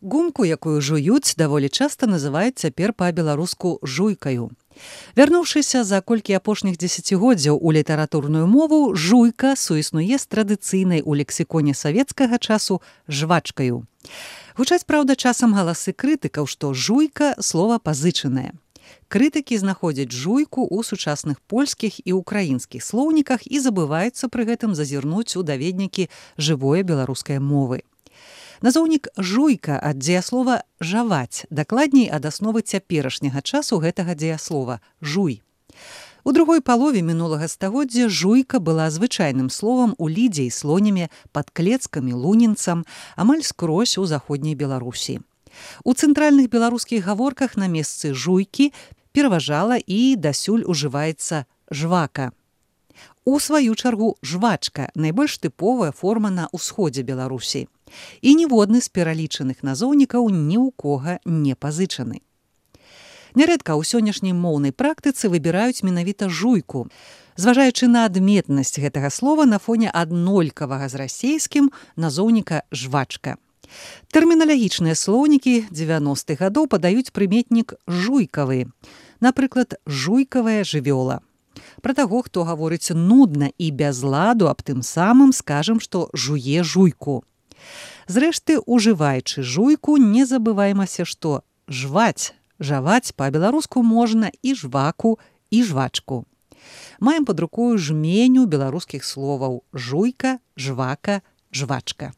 Гумку, якую жуюць, даволі часта называюць цяпер па-беларуску жуйкаю. Вярнуўшыся за колькі апошніх дзесяцігоддзяў у літаратурную мову, жуйка суіснуе з традыцыйнай у лексіконе савецкага часу жвачкаю. Гучаць, праўда, часам галасы крытыкаў, што жуйка – слова пазычанае. Крытыкі знаходзяць жуйку ў сучасных польскіх і ўкраінскіх слоўніках і забываюцца пры гэтым зазірнуць у даведнікі жывое беларускай мовы. Назоўнік жуйка ад дзеяслова жаваць, дакладней ад асновы цяперашняга часу гэтага дзеяслова жуй. У другой палове мінулага стагоддзя жуйка была звычайным словам у лідзе і слонеме, пад клецкамі, лунінцам, амаль скрозь у заходняй Беларусі. У цэнтральных беларускіх гаворках на месцы жуйкі пераважала і дасюль ужываецца жвака. У сваю чаргу жвачка – найбольш тыповая форма на ўсходзе Беларусі. І ніводны з пералічаных назоўнікаў ні ў кога не пазычаны. Нярэдка ў сённяшняй моўнай практыцы выбіраюць менавіта жуйку, зважаючы на адметнасць гэтага слова на фоне аднолькавага з расейскім назоўніка жвачка. Тэрміналагічныя слоўнікі 90-х гадоў падаюць прыметнік жуйкавы, напрыклад, жуйкавая жывёла. Пра таго, хто гаворыць нудна і без ладу, аб тым самым скажам, што жуе жуйку. Зрэшты, ужываючы жуйку, не забываймася, што жаваць па-беларуску можна і жваку, і жвачку. Маем пад рукою жменю беларускіх словаў жуйка, жвака, жвачка.